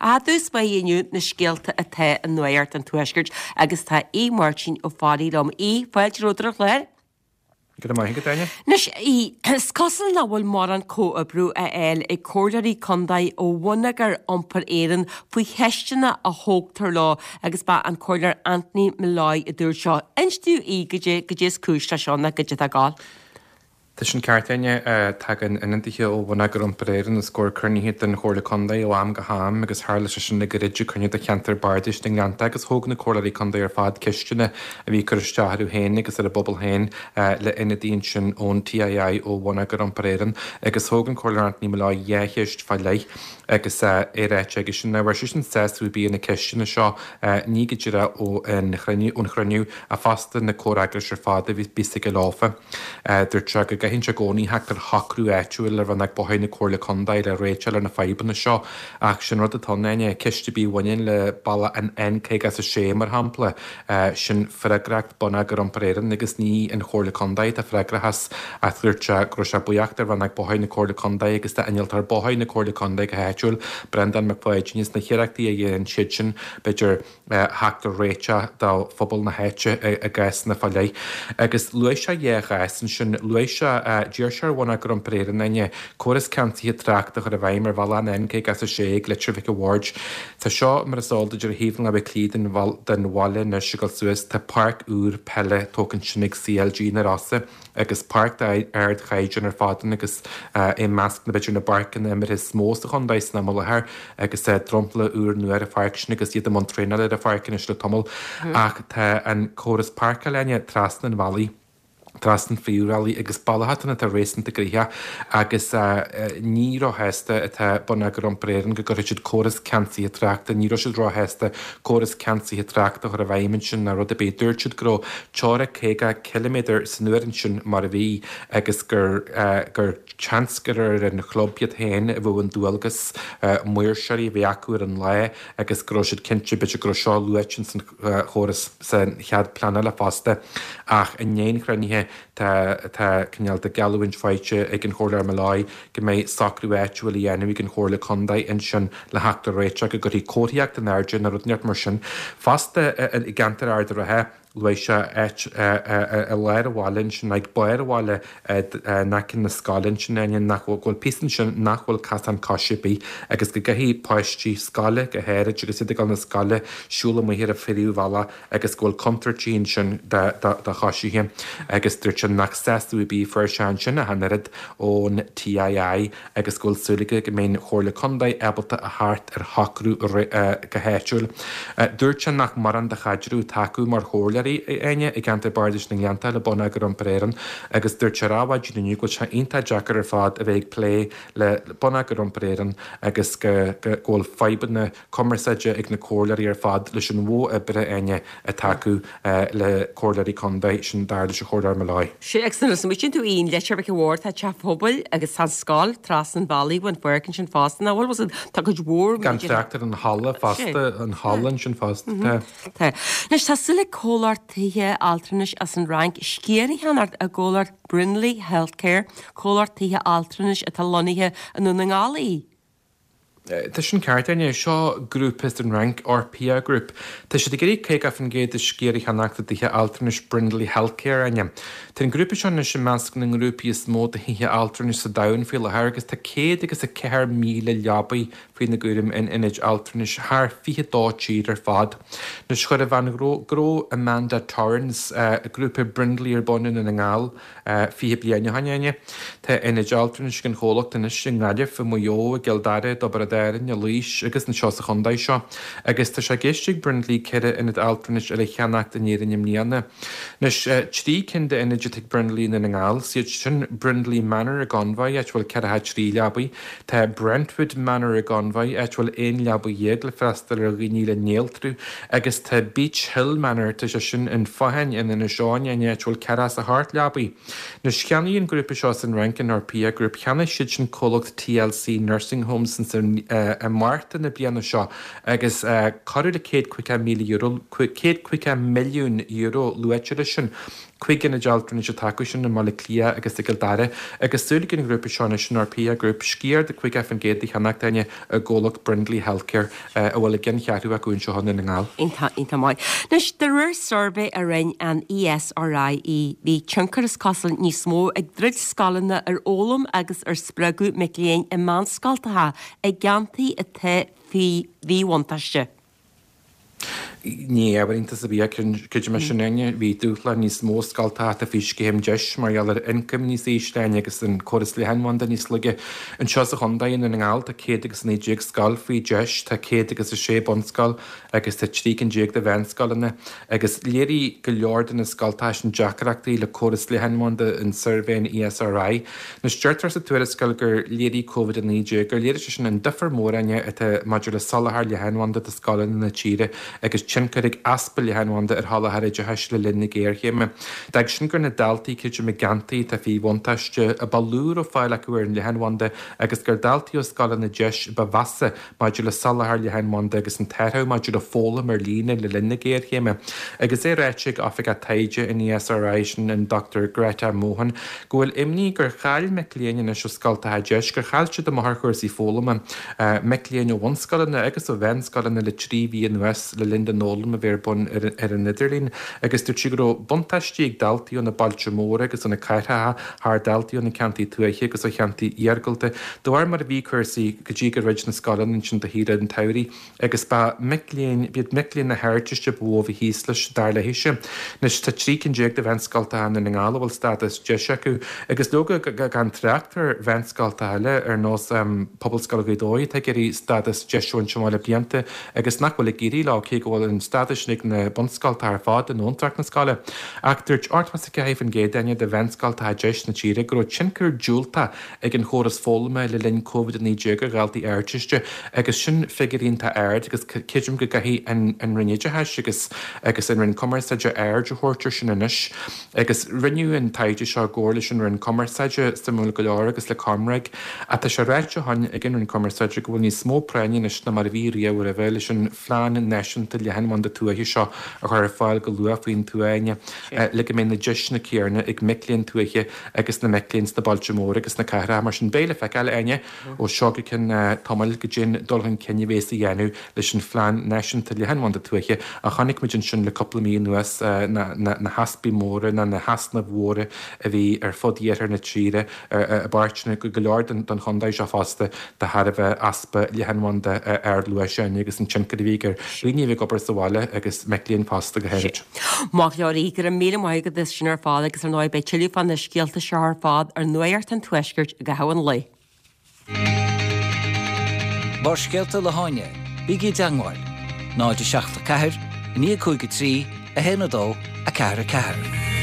Ach i dtús báire inniu na scéalta atá i Nuacht an Tuaiscirt agus tá Aodh Máirtín Ó Fearraigh liom. Aodh, fáilte romhat ar an chlár. Go raibh maith agat, Áine. Anois, a Aoidh, is cosúil nach bhfuil mórán comhoibriú á fháil ag comhairleoirí contae ó Bhonneagar Iompair Éireann faoi cheisteanna a thógtar leo agus ba an Comhairleoir Anthony Molloy a dúirt seo. Inis dúinn, a Aoidh, goidé, goidé is cúis leis seo nó goidé atá ag gabháil. Tá sin ceart, Áine. Tagann ionadaithe ó Bhonneagar Iompair Éireann os comhair cruinnithe den Chomhairle Contae ó am go ham agus tharla sé sin le gairid ag cruinniú de Cheantar Bardais na nGleannta agus thóg na Comhairleoirí Contae ar fad ceisteanna a bhí ag cur isteach orthu féin agus ar a bpobal féin le ionadaí ansin ón TII ó Bhonneagar Iompair Éireann agus thóg an Comhairleoir Anthony Molloy 2 cheist fá leith agus é ráite aigesean nach bhfuair seisean sásamh ar bith ar na ceisteanna seo ní go díreach ón chruinniú ach fosta na comhfhreagrais ar fad a bhí aige leofa. Dúirt sé go gcaitheann sé i gcónaí theacht ar shocrú áitiúil le Rannóg Bóithre na Comhairle Contae le réiteáil ar na fadhbanna seo ach sin rud atá ann, Áine, ceist ar bith a bhaineann le bealach an N56 mar shampla, sin freagracht Bonneagar Iompair Éireann agus ní an Chomhairle Contae atá freagrach as ach dúirt sé go raibh sé buíoch de Rannóg Bóithre na Comhairle Contae agus d'Innealtóir Bóithre na Comhairle Contae go háitiúil, Breandán Mac Pháidín, as na hiarrachtaí a dhéanann siadsan b'fhéidir. theacht ar réiteach do phobal na háite i gcásanna fá leith. Agus luaigh sé dhá chás ansin. Luaigh sé, d'iarr sé ar Bhonneagar Iompair Éireann, Áine, córas ceansaithe tráchta a chur i bhfeidhm ar bhealach an N56 ag Leitir Mhic a' Bhaird. Tá seo, mar is eol duit, ar thaobh na láimhe clí den bhaile anois ag dul suas. Tá páirc úr peile tógtha ansin ag CLG na Rosa. agus páirc d'ardchaighdeán ar fad ann agus i measc na b'fhéidir na bpáirceanna imeartha is mó sa chontae san am i láthair agus dromchla úr nua ar an pháirc sin agus iad i mbun traenála ar an pháirc anois le tamall. Ach tá an córas páirceála Áine trasna an bhealaigh, trasna an phríomhbhealaigh agus bealach atá ann atá réasúnta gnoitheach agus ní róshásta atá Bonneagar Iompair Éireann go gcuirfidh siad córas ceansaithe tráchta, ní raibh siad róshásta córas ceansaithe tráchta a chur i bhfeidhm ansin ná rud ar bith. Dúirt siad go raibh teora 50 ciliméadar san uair ansin mar a bhí agus gur gur seans gur ar an chlub iad féin a bheadh an dualgas maoirseoirí a bheith acu ar an lá agus go raibh siad cinnte b'fhéidir go raibh seo luaite ins an chóras sa chead pleanála fosta ach i ndiaidh an chruinnithe tá tá cineál de geallúint faighte ag an Chomhairleoir Molloy go mbeidh socrú áitiúil á dhéanamh ag an Chomhairle Contae ansin le theacht ar réiteach go gcuirfí comharthaíocht in airde nó rud inteacht mar sin. Fosta i gceantar Ard an Rátha, luaigh sé áit i lár an bhaile ansin, ag barr an bhaile in aice na scoile ansin, Áine, nach bhfuil, go bhfuil píosa ansin nach bhfuil casán coise ar bith agus go gcaithfidh páistí scoile, go háirid agus iad ag dul na scoile, siúl amuigh ar an phríomhbhealach agus go bhfuil contúirtí ansin do choisithe agus dúirt sé nach sásamh ar bith a fuair sé ansin ach an oiread ón TII agus go bhfuil súil aige go mbeidh an Chomhairle Contae ábalta a theacht ar shocrú go háitiúil. Dúirt sé nach mórán de chaidreamh atá acu mar chomhairleoirí, Áine, i gceantar Bardais na nGleannta le Bonneagar Iompair Éireann agus dúirt sé ar Adhmhaidin inniu go bhfuil sé iontach deacair ar fad a bheith ag plé le Bonneagar Iompair Éireann agus go bhfuil fadhbanna cumarsáide ag na comhairleoirí ar fad leis an mhodh oibre, Áine, atá acu le comhairleoirí contae, sin dar leis an Chomhairleoir Molloy. Sea, agus nuair a smaoitíonn tú ar an Leitir Mhic a' Bhaird, tá teach pobail agus tá an scoil trasna an bhealaigh ón pháirc ansin fosta, nach bhfuil? Tá cuid mhór Gan trácht ar an halla fosta, an halla ansin fosta, tá. Tá. Anois, tá súil ag comhlacht tithe altranais as an Fhrainc sciar a cheannacht i gcomhlacht Brindley Healthcare, comhlacht tithe altranais atá lonnaithe i nDún na nGall í. Tá sin ceart, Áine. Seo grúpa as an Fhrainc, Orpea Group. Tá siad ag iarraidh 50% de sciar a cheannacht i dtithe altranais Brindley Healthcare, Áine. Tá an grúpa seo anois i measc na ngrúpaí is mó de thithe altranais sa domhan faoi láthair agus tá 104,000 leabaidh faoina gcúram in ionaid altranais thar 22 tír ar fad. Anois chuir an bhean ghnó Amanda Torrens grúpa Brindley ar bun i nDún na nGall 20 bliain ó shin, Áine. Tá ionaid altranais ag an chomhlacht anois i nGaillimh, i Maigh Eo, i gCill Dara, i dTiobraid Árann, i Laois agus anseo sa chontae seo. Agus tá sé i gceist ag Brindley 4 ionad altranais eile a cheannacht in Éirinn i mbliana. Anois, 3 cinn d'ionaid atá ag Brindley i nDún na nGall, is iad sin Brindley Manor i gConmhaigh, áit a bhfuil 43 leabaidh, Tá Brentwood Manor i gConmhaigh, áit a bhfuil 11 leabaidh le freastal ar dhaoine le néaltrú, agus tá Beech Hill Manor, tá sé sin in Fathain in Inis Eoghain, áit a bhfuil 48 leabaidh. Anois, cheannaigh an grúpa seo as an Fhrainc, an Orpea Group, cheannaigh siad sin comhlacht TLC Nursing Homes i Márta na bliana seo agus corradh le €150,000, €150 milliún luaite leis sin. 5 ionad altranais atá acu sin i mBaile Átha Cliath agus i gCill Dara agus súil ag an ghrúpa seo anois, an Orpea Group, sciar de 50% a cheannacht, Áine, i gcomhlacht Brindley Healthcare a bhfuil a gceanncheathrú acu anseo i nDún na nGall. Iontach, iontach maith. Anois, de réir suirbhé a rinne an ESRI, bhí tionchar is cosúil níos mó ag druid scoileanna ar fhoghlaim agus ar spreagadh mic léinn i meánscoltacha i gceantair atá faoi mhíbhuntáiste. Ní ábhar iontais ar bith é, creidim é sin, Áine. Bhí dúshlán níos mó ag scoltacha atá faoi scéim deis mar gheall ar ioncaim níos ísle, Áine, agus an córas leathanbhanda níos laige. Anseo sa chontae, i nDún na nGall, tá 119 scoil faoi deis, tá 106 bunscoil agus tá 13 cinn de mheánscoileanna. Agus léirigh go leor de na scoltacha sin deacrachtaí le córas leathanbhanda in suirbhé an ESRI. Anois, deirtear sa tuarascáil gur léirigh Covid-19 gur léirigh sé sin an difear mór, Áine, atá maidir le soláthar leathanbhanda do scoileanna na tíre agus tionchar ag easpa leathanbhanda ar sholáthar oideachais le linn na géarchéime. D'fhág sin gur na daltaí, creidim, i gceantair atá faoi bhuntáiste a ba lú a raibh fáil acu ar an leathanbhanda agus gur daltaí ó scoileanna deis ba mheasa maidir le soláthar leathanbhanda agus an t-athrú maidir le foghlaim ar líne le linn na géarchéime. Agus é ráite ag Oifigeach Taighde an ESRI, sin an Dr Greta Mohan, go bhfuil imní gur chaill mic léinn anois ó scoltacha deis, gur chaill siad amach ar chúrsaí foghlama, mic léinn ó bhunscoileanna agus ó mheánscoileanna le 3 mhí anuas le linn don fhoghlaim a bheith ar bun ar an idirlíon agus dúirt sí go raibh buntáistí ag daltaí ó na bailte móra agus ó na cathracha thar daltaí ó na ceantair tuaithe agus ó cheantair iargúlta, de bharr mar a bhí cúrsaí go dtí gur dhruid na scoileanna ansin do shaoire an tsamhraidh agus ba mic léinn, b'iad mic léinn na hArdteiste ba mhó a bhí thíos leis, dar léise. Anois tá 13 cinn de mheánscoltacha i nDún na nGall a bhfuil stádas deis acu agus leoga gan trácht ar mheánscoltacha eile ar nós Pobalscoil Ghaoth Dobhair atá ag iarraidh stádas deis a bhaint amach le blianta agus nach bhfuil ag éirí leo cé go bhfuil an stádas sin ag na bunscoltacha ar fad i ndúntracht na scoile. Ach dúirt 84% Áine de mheánscoltacha deis na tíre go raibh tionchar diúltach ag an chóras foghlama le linn Covid-19 ar dhaltaí Ardteiste agus sin figiúr iontach ard agus creidim go gcaithfidh an Roinn Oideachais agus agus an Roinn Cumarsáide aird a thabhairt air sin anois. Agus rinneadh an taighde seo i gcomhar leis an Roinn Cumarsáide, suimiúil go leor, agus le ComReg. Ach tá sé ráite ó shin ag an Roinn Cumarsáide go bhfuil níos mó práinne anois ná mar a bhí riamh roimhe leis an phlean náisiúnta leathanbhanda tuaithe seo a chur ar fáil go luath faoin tuath, Áine, le go mbeidh na deiseanna céanna ag mic léinn tuaithe agus na mic léinn sna bailte móra agus sna cathracha. Mar sin, beidh le feiceáil, Áine, ó seo go ceann tamaill goidé an dul chun cinn a bhéas á dhéanamh leis an phlean náisiúnta leathanbhanda tuaithe ach chonaic muid ansin le cúpla mí anuas na heaspaí móra ná na heasnaimh mhóra a bhí ar fud iarthar na tíre, i bpáirteanna go leor den chontae seo fosta de thairbhe easpa leathanbhanda ardluais Áine agus an tionchar a bhí ar dhaoine a bhí ag obair sa bhaile agus mic léinn fosta go háirid. Maith go leor, go raibh míle maith agat as sin ar fad agus ar ndóigh beidh tuilleadh fá na scéalta seo ar fad ar Nuacht an Tuaiscirt i gcaitheamh an lae. Barrscéalta le hÁine, bígí i dteangmháil, 0 7 4 9 5 3 1 2 4 4.